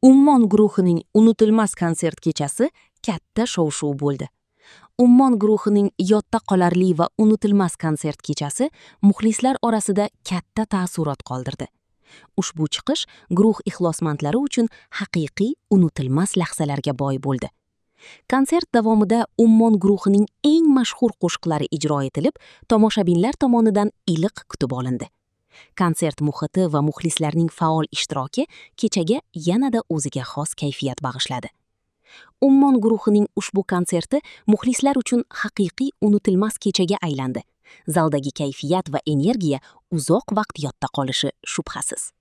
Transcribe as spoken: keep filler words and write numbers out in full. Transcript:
Ummon guruhining unutilmas konsert kechasi katta shov-shuv bo'ldi. Ummon guruhining yodda qolarli va unutilmas konsert kechasi muxlislar orasida katta taassurot qoldirdi. Ushbu chiqish guruh ixlosmandlari uchun haqiqiy unutilmas lahzalarga boy bo'ldi. Konsert davomida Ummon guruhining eng mashhur qo'shiqlari ijro etilib, tomoshabinlar tomonidan iliq kutib olindi. Konsert muhiti va muxlislarning faol ishtiroki kechaga yanada o'ziga xos kayfiyat bag'ishladi. Ummon guruhining ushbu konserti muxlislar uchun haqiqiy unutilmas kechaga aylandi. Zaldagi kayfiyat va energiya uzoq vaqt yodda qolishi shubhasiz.